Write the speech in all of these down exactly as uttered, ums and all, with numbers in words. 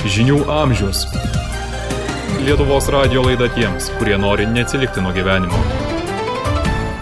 Žinių amžius. Lietuvos radijo laida tiems, kurie nori neatsilikti nuo gyvenimo.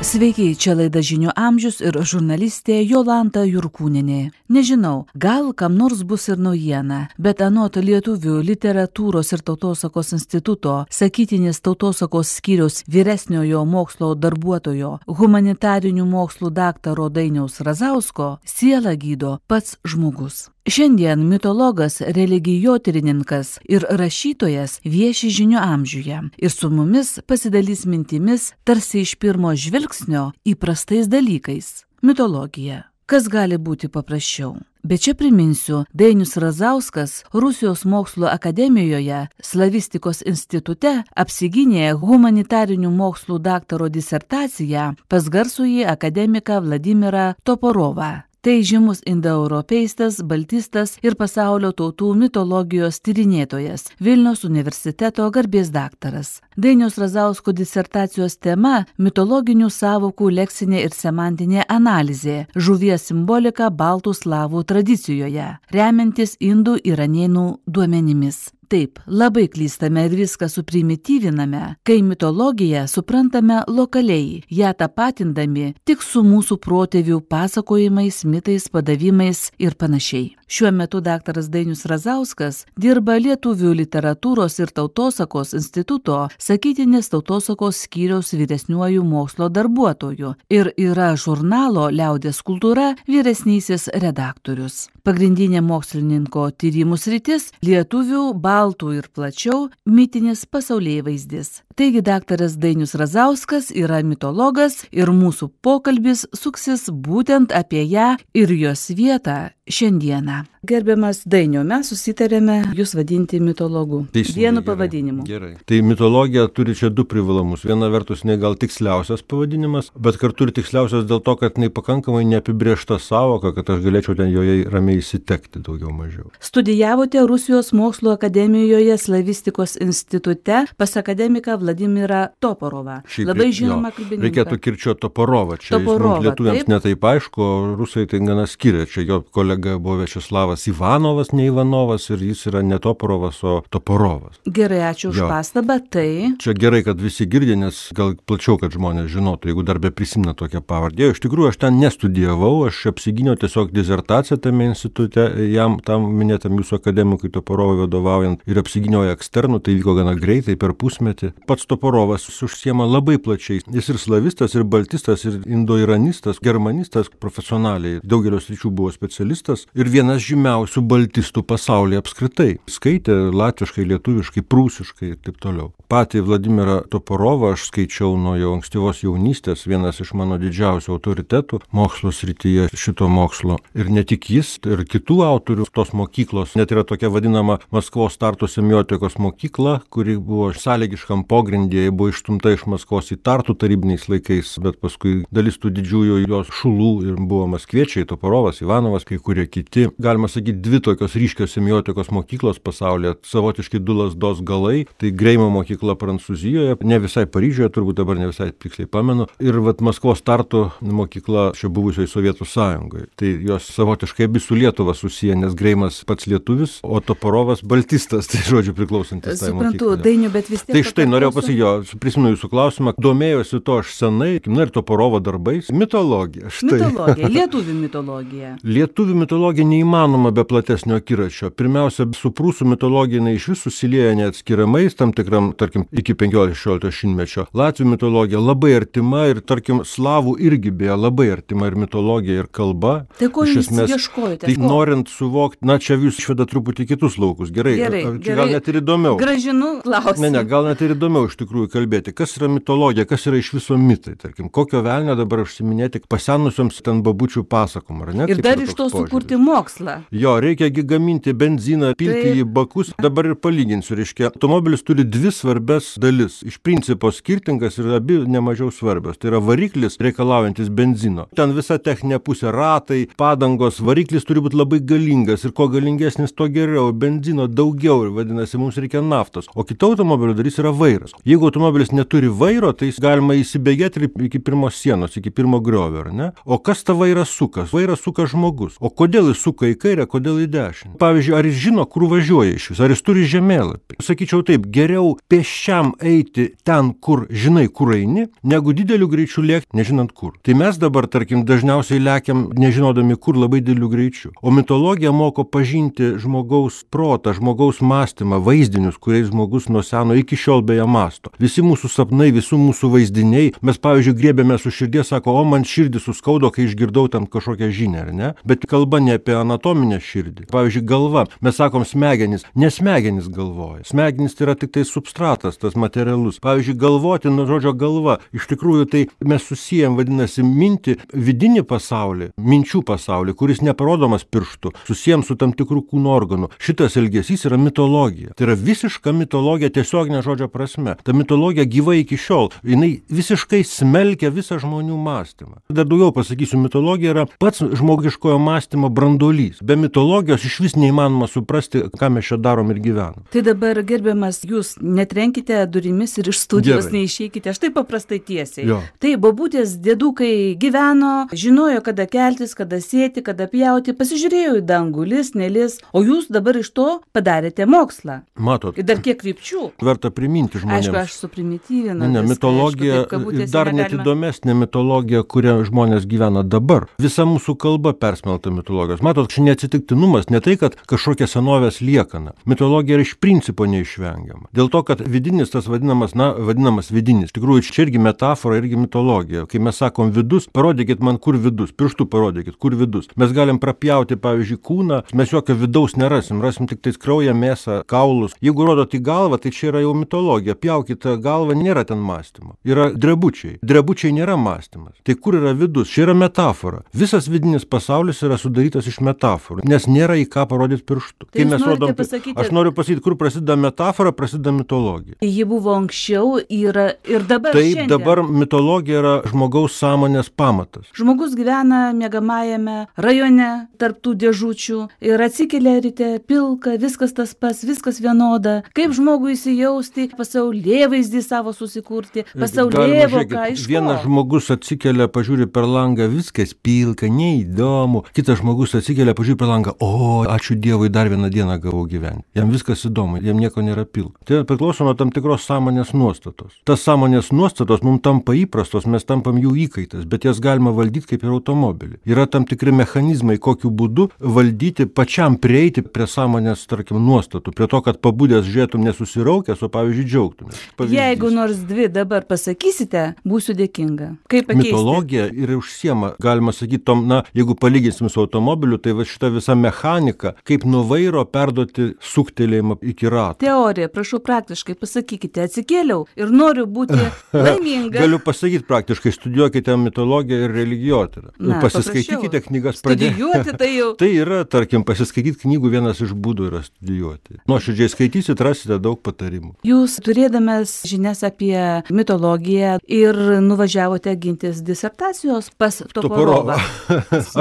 Sveiki, čia laida Žinių amžius ir žurnalistė Jolanta Jurkūnienė. Nežinau, gal kam nors bus ir naujiena, bet anot Lietuvių literatūros ir tautosakos instituto sakytinės tautosakos skyriaus vyresniojo mokslo darbuotojo, humanitarinių mokslų daktaro Dainiaus Razausko, sielą gydo pats žmogus. Šiandien mitologas, religijotyrininkas ir rašytojas vieši Žinių amžiuje ir su mumis pasidalys mintimis tarsi iš pirmo žvilgsnio įprastais dalykais. Mitologija. Kas gali būti paprasčiau? Bet čia priminsiu, Dainius Razauskas Rusijos mokslo akademijoje Slavistikos institute apsigynė humanitarinių mokslų daktaro disertaciją pas garsųjį akademiką Vladimirą Toporovą. Tai žymus indoeuropeistas, baltistas ir pasaulio tautų mitologijos tyrinėtojas, Vilniaus universiteto garbės daktaras. Dainiaus Razausko disertacijos tema – mitologinių sąvokų leksinė ir semantinė analizė, žuvies simbolika baltų slavų tradicijoje, remiantis indų iranėnų duomenimis. Taip, labai klystame ir viską suprimityviname, kai mitologiją suprantame lokaliai, ją tapatindami tik su mūsų protėvių pasakojimais, mitais, padavimais ir panašiai. Šiuo metu daktaras Dainius Razauskas dirba Lietuvių literatūros ir tautosakos instituto sakytinės tautosakos skyriaus vyresniuoju mokslo darbuotoju ir yra žurnalo Liaudies kultūra vyresnysis redaktorius. Pagrindinė mokslininko tyrimų sritis – lietuvių, baltų ir plačiau mitinis pasaulėvaizdis. Taigi daktaras Dainius Razauskas yra mitologas ir mūsų pokalbis suksis būtent apie ją ir jos vietą šiandieną. Gerbiamas Dainiau, mes susitarėme jūs vadinti mitologu. Teisingai, vienu gerai, pavadinimu. Gerai. Tai mitologija turi čia du privalumus. Viena vertus, ne gal tiksliausias pavadinimas, bet kartu ir tiksliausias dėl to, kad jinai pakankamai neapibrėžta sąvoka, kad aš galėčiau ten joje ramiai įsitekti daugiau mažiau. Studijavote Rusijos mokslo akademijoje Slavistikos institute pas akademiką Vladimirą Toporovą. Šiaip, Labai žinoma kalbininką. Reikėtų kirčiuoti Toporovą. Čia Toporovą, mums lietuviams taip. netaip aišku, o rusai tai gana skiria. Čia jo kolega buvo Viačeslavas Ivanovas, ne Ivanovas, ir jis yra ne Toporovas, o Toporovas. Gerai, ačiū už Jo. pastabą. Tai Čia gerai, kad visi girdi, nes gal plačiau, kad žmonės žinotų, jeigu dar be prisimena tokią pavardę. Iš tikrųjų, aš ten nestudijavau, aš apsigyniau tiesiog disertaciją tame institute, jam tam minėtam jūsų akademikui Toporovui vadovaujant, ir apsigyniau eksternų, tai vyko gana greitai, per pusmetį. Pats Toporovas užsiema labai plačiai. Jis ir slavistas, ir baltistas, ir indoiranistas, germanistas profesionaliai. Daugelio sričių buvo specialistas ir vienas žymiausių baltistų pasaulyje apskritai. Skaitė latviškai, lietuviškai, prūsiškai ir taip toliau. Patį Vladimirą Toporovą aš skaičiau nuo jau ankstyvos jaunystės, vienas iš mano didžiausių autoritetų mokslo srityje šito mokslo. Ir ne tik jis, ir kitų autorių tos mokyklos. Net yra tokia vadinama Maskvos Tartu semiotikos mokykla, kuri buvo sąlygiškam pogrindyje, buvo išstumta iš Maskvos į Tartu tarybiniais laikais, bet paskui dalis tų didžiųjų jos šulų ir buvo maskviečiai, Toporovas, Ivanovas, kai kurie kiti. Galima sakyti, dvi tokios ryškios semiotikos mokyklos pasaulyje, savotiškai du lazdos galai, tai Greimo mokykla Prancūzijoje, ne visai Paryžiuje, turbūt dabar ne visai tiksliai pamenu, ir vat Maskvos Tartu mokykla šio buvusioje Sovietų sąjungoje. Tai jos savotiškai abi su Lietuva susiję, nes Greimas pats lietuvis, o Toporovas baltistas, tai žodžiu priklausantis tai mokyklai. suprantu, Dainiu, bet vis tiek... Tai štai norėjau pasakyti, jo, prisimenu jūsų klausimą, domėjosi to aš senai, na ir Toporovo darbais, mitologija. Štai. Mitologija, lietuvių mitologija. Lietuvių mitologija neįmanoma be platesnio akiračio. Pirmiausia, su prūsų mitologija jinai iš vis susilieja neatskiriamais, tam tikram, tarkim, iki penkiolikto šimtmečio. Latvių mitologija labai artima ir, tarkim, slavų irgi beje labai artima ir mitologija, ir kalba. Tai ko Iš jūs esmės, ieškojate? Tai Ko? norint suvokti, na čia jūs išveda truputį kitus laukus. Gerai, Gerai, ar- čia gerai. gal net ir įdomiau. Gražinu klausimą. Ne, ne, gal net ir įdomiau iš tikrųjų kalbėti, kas yra mitologija, kas yra iš viso mitai, tarkim, kokio velnio dabar užsiminėti pasenusioms ten babučių pasakom, ar ne? Ir Kaip dar yra iš toks to požiūris? sukurti mokslą. Jo, reikia gi gaminti benziną, pilti Taip. į bakus. Dabar ir palyginsiu, reiškia, automobilis turi dvi svarbias dalis. Iš principo skirtingas ir abi nemažiau svarbios. Tai yra variklis reikalaujantis benzino. Ten visa techninė pusė, ratai, padangos, variklis turi būti labai galingas ir kuo galingesnis, to geriau. Benzino daugiau ir vadinasi, mums reikia naftos. O kita automobilio dalis yra vairas. Jeigu automobilis neturi vairo, tai jis galima įsibėgėti iki pirmos sienos, iki pirmo griovio, ar ne? O kas tą vairą suka? Vairą suka žmogus. O kodėl jis suka į kairę, kairę, kodėl į dešinę. Pavyzdžiui, ar jis žino, kur važiuoja iš vis, ar jis turi žemėlapį. Sakyčiau taip, geriau pėsčiam eiti ten, kur žinai, kur eini, negu dideliu greičiu lėkti, nežinant kur. Tai mes dabar, tarkim, dažniausiai lekiam, nežinodami kur, labai dideliu greičiu. O mitologija moko pažinti žmogaus protą, žmogaus mąstymą, vaizdinius, kuriais žmogus nuo seno iki šiol beje mąsto. Visi mūsų sapnai, visų mūsų vaizdiniai, mes, pavyzdžiui, griebėme su širdies, sako, o man širdį suskaudo, kai išgirdau tam kažkokią žinią, ar ne? Bet kalba ne apie anatominę širdį. Pavyzdžiui, galva, mes sakom smegenis, ne smegenis galvoja. Smegenis tai yra tik tai substratas, tas materialus. Pavyzdžiui, galvoti nuo žodžio galva, iš tikrųjų tai mes susijęm, vadinasi, mintį, vidinį pasaulį, minčių pasaulį, kuris neparodomas pirštu, susijęm su tam tikrų kūno organų. Šitas elgesys yra mitologija. Tai yra visiška mitologija tiesioginė žodžio prasme. Ta mitologija gyva iki šiol. Jinai visiškai smelkia visą žmonių mąstymą. Dar daugiau pasakysiu, mitologija yra pats žmogiškojo mąstymo branduolys. Be mitologijos iš vis neįmanoma suprasti, ką mes čia darom ir gyvenam. Tai dabar, gerbiamas, jūs netrenkite durimis ir iš studijos Gerai. Neišeikite, štai paprastai tiesiai. Jo. Tai bobutės dėdukai gyveno, žinojo, kada keltis, kada sėti, kada pjauti, pasižiūrėjo į dangų, lis, nelis, o jūs dabar iš to padarėte mokslą. Matot, Ir dar kiek krypčių. verta priminti žmonėms. Aišku, aš suprimityvinu. Ne, ne, viską, mitologija, aišku, taip, kabutėse dar net negalima. įdomesnė mitologija, kuria žmonės gyvena dabar. Visa mūsų kalba persmelta mitologijos. Matot, čia neatsitiktinumas, ne tai, kad kažkokia senovės liekana. Mitologija yra iš principo neišvengiama. Dėl to, kad vidinis tas vadinamas, na, vadinamas vidinis. Tikrųjų, čia irgi metafora, irgi mitologija. Kai mes sakom vidus, parodykit man, kur vidus, pirštu parodykit, kur vidus. Mes galim prapjauti, pavyzdžiui, kūną, mes jokio vidaus nerasim, rasim tik tais kraują, mėsą, kaulus. Jeigu rodot į galvą, tai čia yra jau mitologija. Pjaukite galvą, nėra ten mąstymo. Yra drebučiai. Drebučiai nėra mąstymas. Tai kur yra vidus? Čia yra metafora. Visas vidinis pasaulis yra sudarytas iš metaforų, nes nėra į ką parodyti pirštu. Tai jūs norite pasakyti- Aš noriu pasakyti, kur prasideda metafora, prasideda mitologija. Ji buvo anksčiau, yra ir dabar Taip, šiandien. dabar mitologija yra žmogaus sąmonės pamatas. Žmogus gyvena miegamajame rajone tarp tų dėžučių ir atsikelia ryte pilka, viskas tas pats, viskas vienoda. Kaip žmogui įsijausti, pasaulėvaizdį savo susikurti, Galima, pasaulėvoką, žiūrėkit, iš vienas ko? žmogus atsikelia, pažiūri per langą, viskas pilka, neįdomu. Kitas žmogus atsikelia, pažiūri per langą, o, ačiū Dievui, dar vieną dieną gavau gyventi. Jam viskas įdomu, jam nieko nėra pilka. Tai priklauso nuo tam tikros sąmonės nuostatos. Tas sąmonės nuostatos mums tampa įprastos, mes tampam jų įkaitas, bet jas galima valdyti kaip ir automobilį. Yra tam tikri mechanizmai, kokiu būdu valdyti, pačiam prieiti prie sąmonės, tarkim, nuostatų, prie to, kad pabudęs žiūrėtum nesusiraukęs, o pavyzdžiui džiaugtumės. Pavyzdys. Jeigu nors dvi dabar pasakysite, būsiu dėkinga. Kaip pakeisti? Mitologija ir užsiema, galima sakyti, tom, na, jeigu palyginsim su automobiliu, tai va šita visa mechanika, kaip nuo vairo perduoti suktelėjimą iki rato. Teorija, prašau praktiškai pasakykite, atsikėliau ir noriu būti laiminga. Galiu pasakyti praktiškai, studijuokite mitologiją ir religijotyrą. Na, Pasiskaitykite paprašiau. knygas pradėti. Studijuoti tai jau. Tai yra, tarkim, pasiskaityti knygų vienas iš būdų yra studijuoti. Nuoširdžiai skaitysit, rasite daug patarimų. Jūs turėdamas žinias apie mitologiją ir nuvažiavote gintis disertacijos pas Toporovą.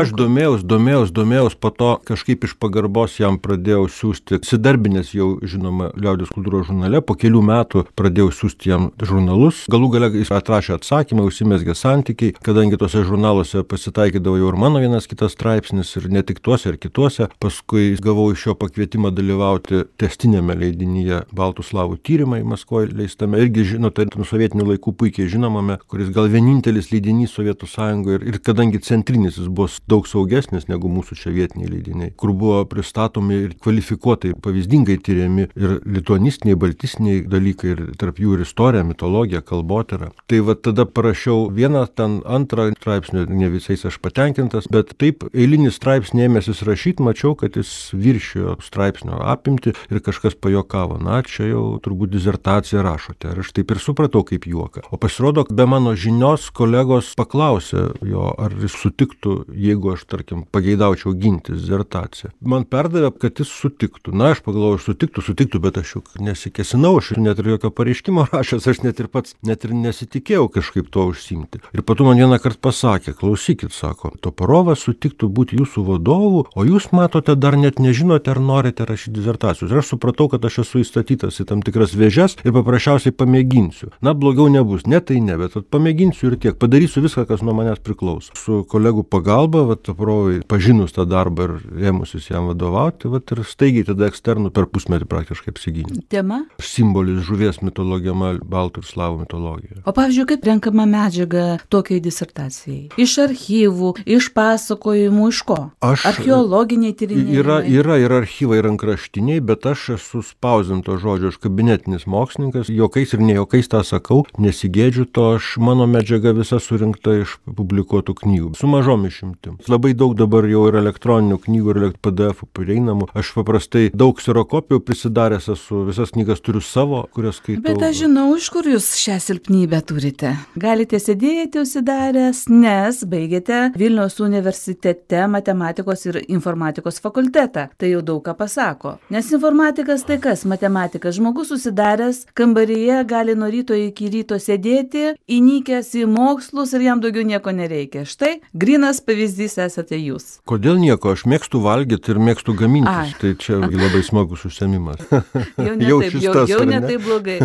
Aš domėjaus, domėjaus, domėjaus, po to kažkaip iš pagarbos jam pradėjau siūsti, sidarbinės jau, žinoma, Liaudies kultūros žurnale, po kelių metų pradėjau siūsti jam žurnalus. Galų gale jis atrašė atsakymą, užsimezgė santykiai, kadangi tuose žurnaluose pasitaikydavo jau ir mano vienas kitas straipsnis, ir ne tik tuose, ir kituose. Paskui gavau iš jo pakvietimą dalyvauti testinėme leidinyje Baltų slavų tyrimai Maskvoje leistame, irgi žinote, nuo sovietinių laikų puikiai žinomame, kuris gal vienintelis leidinys Sovietų Sąjungoje, ir, ir kadangi centrinis jis buvo daug saugesnis negu mūsų čia vietiniai leidiniai, kur buvo pristatomi ir kvalifikuotai, pavyzdingai tyriami ir lituanistiniai, baltistiniai dalykai, ir tarp jų ir istorija, mitologija, kalbotyra. Tai va tada parašiau vieną, ten antrą straipsnį, ne visais aš patenkintas, bet taip eilinį straipsnį ėmėsis rašyti, mačiau, kad jis viršijo straipsnio apimti ir kažkas pajokavo. Na, čia jau turbūt disertaciją rašote. Ir aš taip ir supratau kaip juoką. O pasirodo, be mano žinios kolegos paklausė jo, ar jis sutiktų, jeigu aš, tarkim, pageidaučiau ginti disertaciją. Man perdavė, kad jis sutiktų. Na, aš pagalvojau, sutiktų, sutiktų, bet aš juk nesikesinau, aš net ir jokio pareiškimo rašęs, aš net ir pats, net ir nesitikėjau kažkaip to užsimti. Ir po to man vieną kartą pasakė, klausykit, sako, Toporovas sutiktų būti jūsų vadovu, o jūs matote, dar net nežinote, ar norite rašyti disertacijos. Ir aš supratau, kad aš esu įstatytas į tam tikras vėžes ir paprasčiausiai pamėginsiu. Na, blogiau nebus, ne tai ne, bet pamėginsiu ir tiek, padarysiu viską, kas nuo manęs priklauso. Su kolegų pagalba, va, Toporovai pažinus tą darbą dabar ėmusis jam vadovauti, vat ir staigiai tada eksternų per pusmetį praktiškai apsigynė. Tema? Simbolis žuvies mitologija, baltų ir slavų mitologija. O pavyzdžiui, kaip renkama medžiaga tokiai disertacijai? Iš archyvų, iš pasakojimų, iš ko? Aš, Archeologiniai tyrinėjimai? Yra, yra ir archyvai, ir rankraštiniai, bet aš esu spausdinto žodžio, aš kabinetinis mokslininkas, jokais ir ne jokais tą sakau, nesigėdžiu to, aš mano medžiaga visa surinkta iš publikuotų knygų, su mažom išimtim. Labai daug dabar jau yra elektroninių knygų ir P D F prieinamų. Aš paprastai daug kserokopijų prisidaręs esu, visas knygas turiu savo, kurias skaitau. Bet aš žinau, iš kur jūs šią silpnybę turite. Galite sėdėti užsidaręs, nes baigėte Vilniaus universitete matematikos ir informatikos fakultetą. Tai jau daug ką pasako. Nes informatikas tai kas? Matematikas. Žmogus užsidaręs kambaryje gali nuo ryto iki ryto sėdėti, įnikęs į mokslus ir jam daugiau nieko nereikia. Štai grinas pavyzdys esate jūs. Kodėl nieko? Aš mėgstu valgyti ir mėgstu gamintis. Tai čia labai smagus užsiėmimas. Jau ne taip, jau, tas, jau ne taip blogai.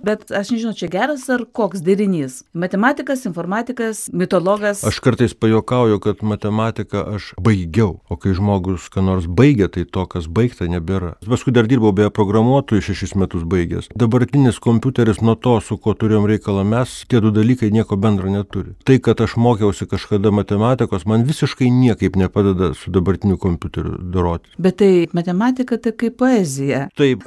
Bet aš nežinau, čia geras ar koks derinys. Matematikas, informatikas, mitologas. Aš kartais pajuokauju, kad matematiką aš baigiau. O kai žmogus ką nors baigia, tai to, kas baigta, nebėra. Paskui dar dirbau beje programuotojų šešis metus baigęs. Dabartinis kompiuteris nuo to, su kuo turėjom reikalą mes, tie du dalykai nieko bendro neturi. Tai, kad aš mokiausi kažkada matematikos, man visiškai niekaip nepadeda su dabartiniu kompiuteriu doroti. Bet tai matematika tai kaip poezija. Taip,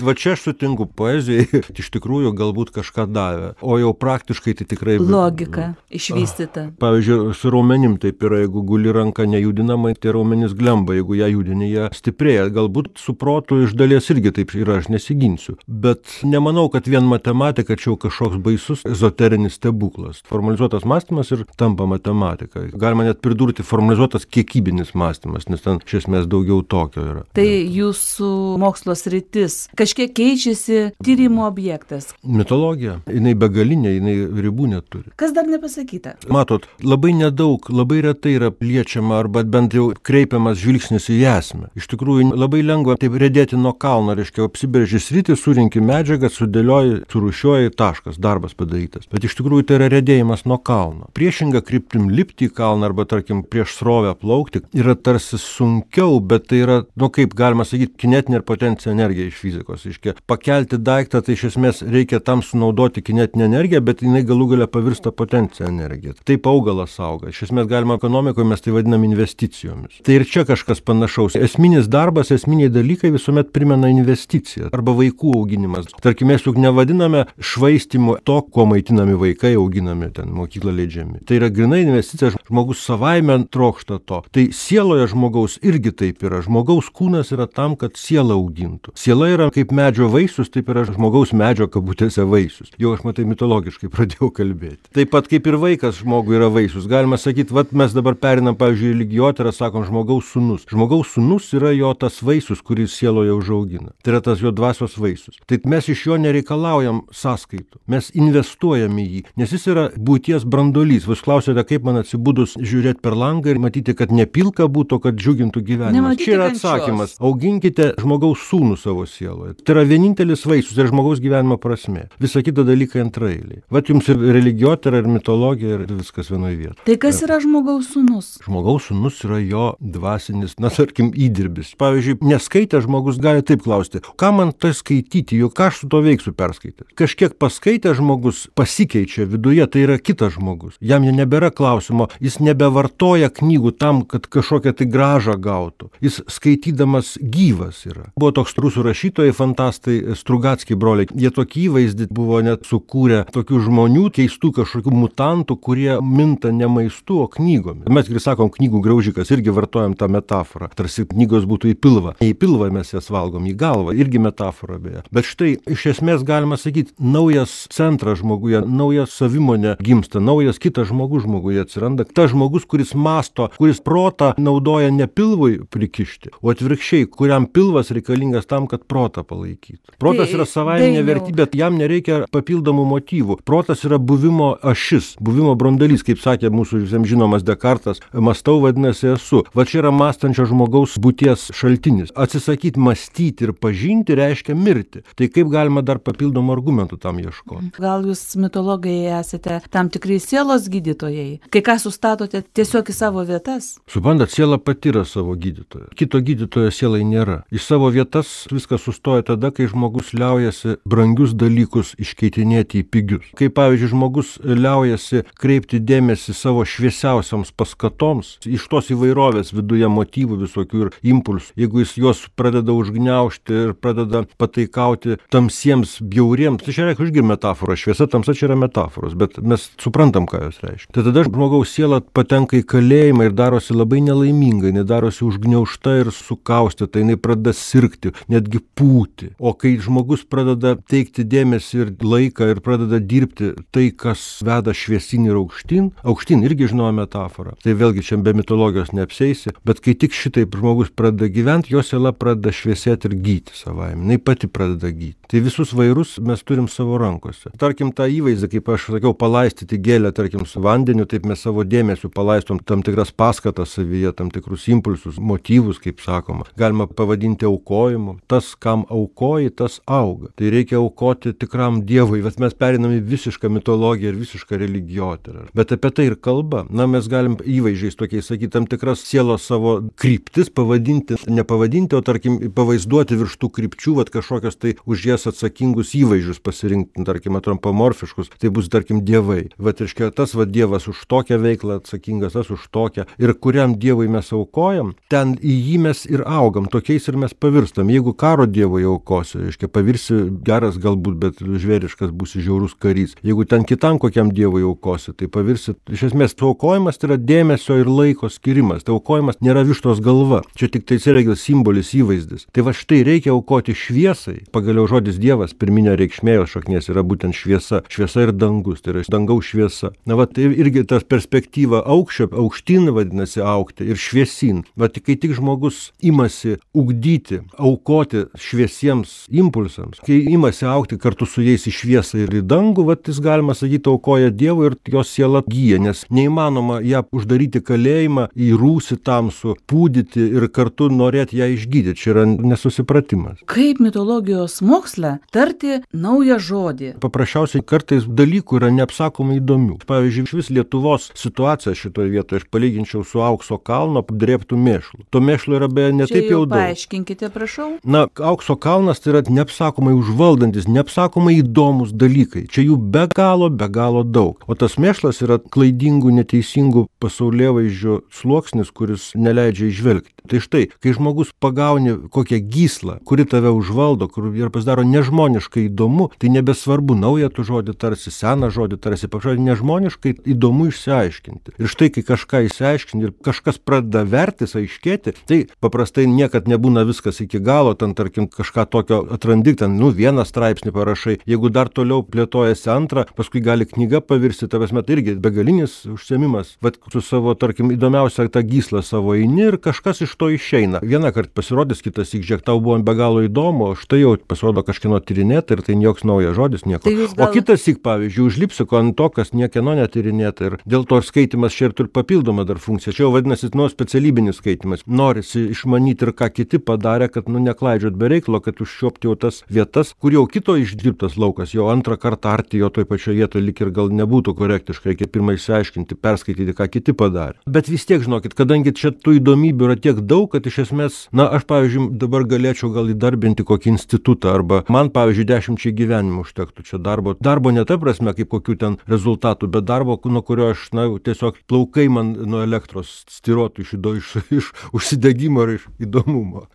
va čia aš sutinku, poezijai iš tikrųjų galbūt kažką davė, o jau praktiškai tai tikrai... Logika išvystyta. Pavyzdžiui, su raumenim taip yra, jeigu guli ranka nejudinamai, tai raumenis glemba, jeigu ją judini, jie stiprėja. Galbūt su protu iš dalies irgi taip yra, aš nesiginsiu. Bet nemanau, kad vien matematika čia kažkoks baisus ezoterinis stebuklas. Formalizuotas mąstymas ir tampa matematika. Galima net pridurti formalizuotas kiekybinis mąstymas, nes ten iš esmės daugiau tokio yra. Tai jūsų mokslo sritis kažkiek keičiasi, tyrimo objektas. Mitologija. Jinai begalinė, jinai ribų neturi. Kas dar nepasakyta? Matot, labai nedaug, labai retai yra liečiama arba bent jau kreipiamas žvilgsnis į esmę. Iš tikrųjų, labai lengva taip redėti nuo kalno, reiškia, apsibrėži sritį, surinki medžiagą, sudėlioji, surūšiuoji, taškas, darbas padarytas. Bet iš tikrųjų tai yra redėjimas nuo kalno. Priešinga kryptim lipti į kalną arba, tarkim, prieš srovę plaukti yra tarsi sunkiau, bet tai yra, nu kaip galima sakyti, kinetinė ir potencinė energija iš fizikos. Iškia, pakelti daiktą, tai iš esmės reikia tam sunaudoti kinetinę energiją, bet jinai galų galia pavirsta potencinė energija. Taip augalas auga. Iš esmės galima ekonomikoje mes tai vadinam investicijomis. Tai ir čia kažkas panašaus. Esminis darbas, esminiai dalykai visuomet primena investiciją arba vaikų auginimas. Tarkim, mes juk nevadiname švaistimu to, kuo maitinami vaikai, auginami ten mokyklą leidžiami. Tai yra grynai investicija, žmogus savaime trokšta to. Tai sieloje žmogaus irgi taip yra. Žmogaus kūnas yra tam, kad siela augintų. Siela yra kaip medžio vaisius, taip yra žmogaus medžio kabutėse vaisius. Jau aš matai mitologiškai pradėjau kalbėti. Taip pat kaip ir vaikas žmogui yra vaisius. Galima sakyti, vat mes dabar perinam, pavyzdžiui, lygiotyrą, sakom, žmogaus sūnus. Žmogaus sūnus yra jo tas vaisius, kuris sieloje užaugina. Tai yra tas jo dvasios vaisius. Tai mes iš jo nereikalaujam sąskaitų. Mes investuojam į jį, nes jis yra būties brandolys. Jūs klausėte, kaip man atsibudus žiūrėti per langą ir matyti, kad nepilka būtų, kad džiugintų gyvenimą. Čia yra atsakymas. Auginkite žmogaus sūnų savo sieloje. Tai yra vienintelis vaisius ir žmogaus gyvenimo prasmė. Visa kita dalykai antraeiliai. Vat jums ir religiotyra, ir mitologija, ir viskas vienoje vietoje. Tai kas yra žmogaus sūnus? Žmogaus sūnus yra jo dvasinis, na, tarkim, įdirbis. Pavyzdžiui, neskaitę žmogus gali taip klausti, ką man tai skaityti, juk ką aš su to veiksiu perskaitęs. Kažkiek paskaitę žmogus pasikeičia viduje, tai yra kitas žmogus. Jam nebėra klausimo, jis nebevartoja knygų tam, kad kažkokią tai gražą gautų. Jis skaitydamas gyvas yra. Buvo toks rusų rašytojai, fantastai, Strugatskiai broliai. Jie tokį įvaizdį buvo net sukūrę tokių žmonių, keistų kažkokių mutantų, kurie minta ne maistu, o knygomis. Mes ir sakom, knygų graužikas, irgi vartojam tą metaforą. Tarsi knygos būtų į pilvą. Ne į pilvą mes jas valgom, į galvą. Irgi metafora beje. Bet štai, iš esmės galima sakyti, naujas centras žmoguje, naujas savimonė gimsta, naujas kitas žmogus žmoguje atsiranda. Tas žmogus, kuris masto, kuris protą naudoja ne pilvui prikišti, o atvirkščiai, kuriam pilvas reikalingas tam, kad protą palaikytų. Protas tai, yra savaiminė vertybė, jam nereikia papildomų motyvų. Protas yra buvimo ašis, buvimo brandalys, kaip sakė mūsų visiems žinomas Dekartas, mąstau vadinasi esu. Va čia yra mąstančio žmogaus būties šaltinis. Atsisakyti mąstyti ir pažinti reiškia mirti. Tai kaip galima dar papildomų argumentų tam ieškoti? Gal jūs mitologai esate tam tikrai sielos gydytojai? Kai ką sustatote tiesiog į savo vietas? Suprantat, siela pati pati yra savo gydytoja. Kito gydytojo sielai nėra. Iš savo vietas viskas sustoja tada, kai žmogus liaujasi brangius dalykus iškeitinėti į pigius. Kai, pavyzdžiui, žmogus liaujasi kreipti dėmesį savo šviesiausiams paskatoms, iš tos įvairovės viduje motyvų visokių ir impulsų, jeigu jis juos pradeda užgniaužti ir pradeda pataikauti tamsiems bjauriems, tai čia reikia užgi metafora, šviesa, tamsa čia yra metaforos, bet mes suprantam, ką jos reiškia. Tai tada žmogaus siela patenka į kalėjimą ir darosi labai nelaiminga, jinai darosi užgniaužta ir sukaustyta, jinai pradeda sirgti, netgi pūti. O kai žmogus pradeda teikti dėmesį ir laiką ir pradeda dirbti tai, kas veda šviesin ir aukštyn, aukštyn irgi žinoma metafora, tai vėlgi čia be mitologijos neapseisi, bet kai tik šitaip žmogus pradeda gyventi, jo siela pradeda šviesėti ir gyti savaime, jinai pati pradeda gyti. Tai visus vairus mes turim savo rankose. Tarkim, tą įvaizdį, kaip aš sakiau, palaistyti gėlę, tarkim, su vandeniu, taip mes savo dėmesiu palaistom tam tikras paskatas savyje, tam tikrus impulsus, motyvus, kaip sakoma. Galima pavadinti aukojimu. Tas, kam aukoji, tas auga. Tai reikia aukoti tikram Dievui, bet mes periname visišką mitologiją ir visišką religijotyrą. Bet apie tai ir kalba. Na, mes galim įvaizdžiais tokiais sakyti, tam tikras sielos savo kryptis pavadinti, nepavadinti, o tarkim, pavaizduoti virš tų krypčių, vat kažkokios tai už jas atsakingus įvaizdžius pasirinkti, tarkim, antropomorfiškus, tai bus, tarkim, dievai. Vat, reiškia, tas va dievas už tokią veiklą atsakingas, tas už tokią. Ir kuriam dievui mes aukojam, ten į jį mes ir augam, tokiais ir mes pavirstam. Jeigu karo dievui aukosi, reiškia, pavirsi geras galbūt, bet žvėriškas būsi žiaurus karys. Jeigu ten kitam kokiam dievui aukosi, tai pavirsi, iš esmės, to aukojimas tai yra dėmesio ir laiko skirimas. Tai aukojimas nėra vištos galva. Čia tik tai yra simbolis, įvaizdis. Tai va štai reikia aukoti šviesai. Pagaliau žodis Dievas, pirminė reikšmė jos šaknies yra būtent šviesa. Šviesa ir dangus, tai yra dangaus šviesa. Na va, tai irgi tas perspektyva aukščio, aukštyn vadinasi aukti ir šviesin. Va, tai kai tik žmogus imasi ugdyti, aukoti šviesiems impulsams, kai imasi aukti kartu su jais į šviesą ir į dangų, va, jis galima sakyti aukoja Dievui ir jos siela gyja, nes neįmanoma ją uždaryti kalėjimą, į rūsį tamsų, pūdyti ir kartu norėti ją išgydyti. Čia yra nesusipratimas. Kaip mitologijos moksle tarti naują žodį? Paprasčiausiai kartais dalykų yra neapsakomai įdomių. Pavyzdžiui, iš vis Lietuvos situacija šitoje vietoje aš palyginčiau su aukso kalno apdrėbtų mėšlų. To mėšlo yra beje ne taip jau daug. Paaiškinkite, prašau. Na, aukso kalnas tai yra neapsakomai užvaldantis, neapsakomai įdomus dalykai. Čia jų be galo, be galo daug. O tas mėšlas yra klaidingų, neteisingų pasaulėvaizdžių sluoksnis, kuris neleidžia įžvelgti. Tai štai, kai žmogus pagauni kokią gyslą, kuri tave užvaldo, kur ir pasidaro nežmoniškai įdomu, tai nebesvarbu naują tu žodį tarsi, seną žodį tarsi, pažodį nežmoniškai įdomu išsiaiškinti. Ir štai, kai kažką išsiaiškinti ir kažkas pradeda vertis, aiškėti, tai paprastai niekad nebūna viskas iki galo, ten tarkim kažką tokio atrandi, ten, nu, vieną straipsnį parašai, jeigu dar toliau plėtojasi antrą, paskui gali knyga pavirsti, tavęs met irgi begalinis užsiėmimas, bet su savo, tarkim, įdomiausia tą gyslą savo eini ir kažkas iš to išeina. Vieną kartą pasirodys, kitas įžiūrėk, tau buvo be galo įdomu, o štai jau pasirodo kažkieno tyrinėta ir tai joks naujas žodis, nieko. Tai gal... O kitas įk, pavyzdžiui, užlipsi ant to, kas niekieno netyrinėta ir dėl to skaitimas čia ir turi papildomą dar funkciją. Čia jau vadinasi, nu, specialybinis skaitimas. Norisi išmanyti ir ką kiti padarė, kad, nu, neklaidžiot be reikalo, kad užčiuopti jau tas vietas, kur jau kito išdirbtas laukas, jau antrą kartą arti jo toj pačioje vietoje lik ir gal nebūtų korektiškai, reikia pirmai išsiaiškinti, perskaityti, ką kiti padarė. Bet vis tiek, žinokit, kadangi čia tų įdomybių yra tiek daug, kad iš esmės, na, aš, pavyzdžiui, dabar galėčiau gal įdarbinti kokį institutą, arba man, pavyzdžiui, dešimčiai gyvenimų užtektų čia darbo. Darbo ne ta prasme, kaip kokių ten rezultatų, bet darbo, nuo kurio aš, na, tiesiog plaukai man nuo elektros stirotų iš, iš, iš užsidegimo ir iš įdomumo.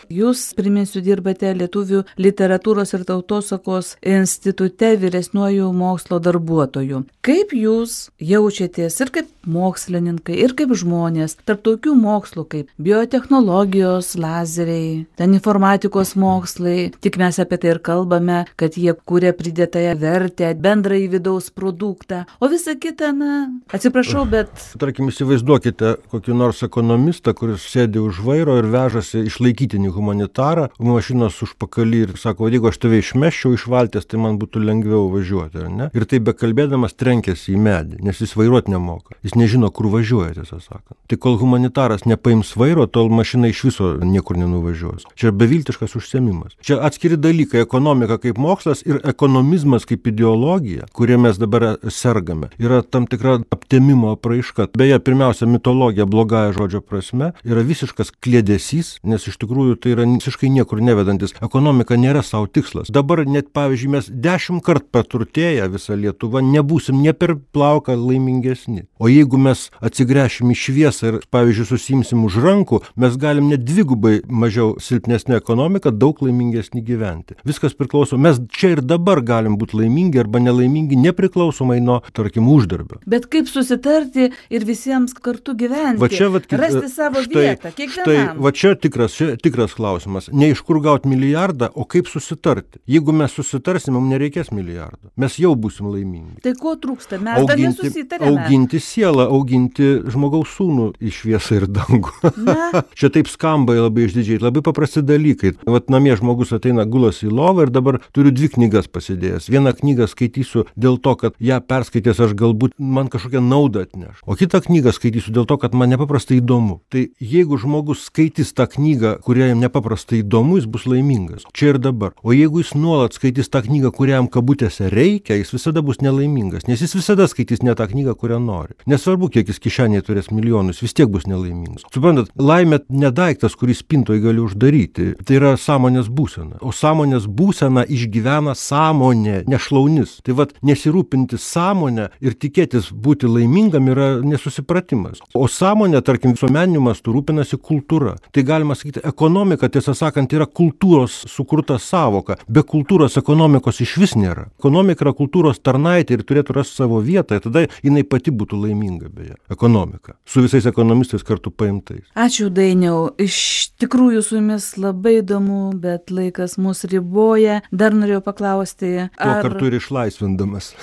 Jūs, priminsiu, dirbate Lietuvių literatūros ir tautosakos institute vyresniuoju mokslo darbuotoju. Kaip jūs jaučiatės ir kaip mokslininkai, ir kaip žmonės tarp tokių mokslų kaip biotechnologijos, lazeriai, ten informatikos mokslai, tik mes apie tai ir kalbame, kad jie kuria pridėtąją vertę, bendrąjį vidaus produktą, o visa kita, na, atsiprašau, bet... Tarkim, įsivaizduokite kokį nors ekonomistą, kuris sėdi už vairo ir vežasi išlaikytinį humanitarą, mašinos užpakalį ir sako, jeigu aš tave išmeščiau iš valties, tai man būtų lengviau važiuoti, ar ne? Ir taip bekalbėdamas trenkėsi į medį, nes jis vairuoti nemoka. Jis nežino, kur važiuoja, tiesą sakant. Tai kol humanitaras nepaims vairo, tol mašina iš viso niekur nenuvažiuos. Čia beviltiškas užsiėmimas. Čia atskiri dalykai - ekonomika kaip mokslas ir ekonomizmas kaip ideologija, kurie mes dabar sergame. Yra tam tikra aptemimo apraiška. Beje, pirmiausia, mitologija blogąja žodžio prasme yra visiškas kliedesys, nes iš tikrųjų tai yra visiškai niekur nevedantis. Ekonomika nėra savo tikslas. Dabar net, pavyzdžiui, mes dešimt kart praturtėję visą Lietuvą nebūsim ne per plauką laimingesni. O jeigu mes atsigręšim į šviesą ir, pavyzdžiui, susimsim už rankų, mes galim net dvigubai mažiau silpnesnė ekonomika, daug laimingesni gyventi. Viskas priklauso. Mes čia ir dabar galim būti laimingi arba nelaimingi, nepriklausomai nuo, tarkim, uždarbio. Bet kaip susitarti ir visiems kartu gyventi? Va čia, vat, rasti savo štai, vietą, kiekvienam. Štai, va čia tikras, čia tikras klausimas. Ne iš kur gauti milijardą, o kaip susitarti. Jeigu mes susitarsim, mums nereikės milijardo. Mes jau būsim laimingi. Tai ko trūksta? Mes dar nesusitarėme. Auginti sielą, auginti žmogaus sūnų į šviesą ir dangų. Čia taip skamba labai išdidžiai, labai paprasti dalykai. Vat namie žmogus ateina, gulas į lovą ir dabar turiu dvi knygas pasidėjęs. Vieną knygą skaitysiu dėl to, kad ją perskaitęs aš galbūt man kažkokią naudą atneš. O kitą knygą skaitysiu dėl to, kad man nepaprastai įdomu. Tai jeigu žmogus skaitys tą knygą, kurią jam nepaprastai įdomu, jis bus laimingas. Čia ir dabar. O jeigu jis nuolat skaitys tą knygą, kurią jam kabutėse reikia, jis visada bus nelaimingas, nes jis visada skaitys ne tą knygą, kurią nori. Nesvarbu, kiek jis kišenėje turės milijonus, vis tiek bus nelaimingas. Suprantat, laimė nedaiktas, kurį spintoje gali uždaryti. Tai yra sąmonės būsena. O sąmonės būsena išgyvena sąmonė, nešlaunis. Tai vat nesirūpinti sąmonę ir tikėtis būti laimingam yra nesusipratimas. O sąmonė, tarkim, visuomeniniu mastu rūpinasi kultūra. Tai galima sakyti, ekonomika, tiesą sakant, yra kultūros sukurta savoka. Be kultūros ekonomikos iš vis nėra. Ekonomika yra kultūros tarnaitė ir turėtų rasti savo vietą, ir tada jinai pati būtų laiminga, beje. Ekonomika. Su visais ekonomistais kartu paimtais. Ačiū, Dainiau. Iš tikrųjų su jumis labai įdomu, bet laikas mus riboja. Dar norėjau paklausti, ar... Tuo kartu ir išlaisvindamas.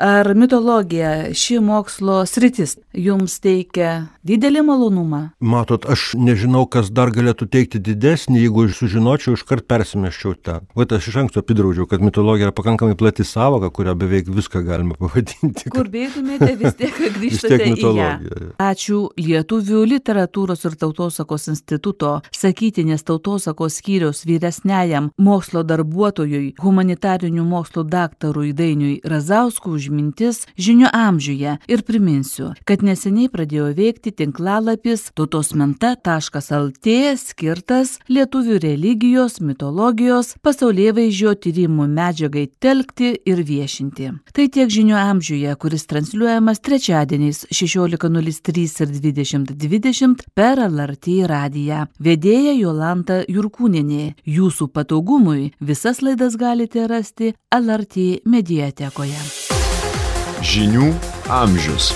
Ar mitologija, ši mokslo sritis, jums teikia didelį malonumą? Matot, aš nežinau, kas dar galėtų teikti didesnį, jeigu aš sužinočiau, iškart persimeščiau ten. Vat aš iš anksto apidraudžiau, kad mitologija yra pakankamai plati savoka, kurią beveik viską galima pavadinti. Kur beitumėte, vis tiek grįžtate į ją. Ačiū Lietuvių literatūros ir tautosakos instituto sakytinės tautosakos skyriaus vyresniajam mokslo darbuotojui, humanitarinių mokslų daktarui Dainiui Razauskui už mintis Žinių amžiuje ir priminsiu, kad neseniai pradėjo veikti tinklalapis tautosmenta taškas lt skirtas lietuvių religijos, mitologijos, pasaulėvaizdžio tyrimų medžiagai telkti ir viešinti. Tai tiek Žinių amžiuje, kuris transliuojamas trečiadieniais šešiolika nulis trys ir dvidešimt dvidešimt per L R T radiją. Vedėja Jolanta Jurkūnienė. Jūsų patogumui visas laidas galite rasti L R T mediatekoje. Žinių amžius.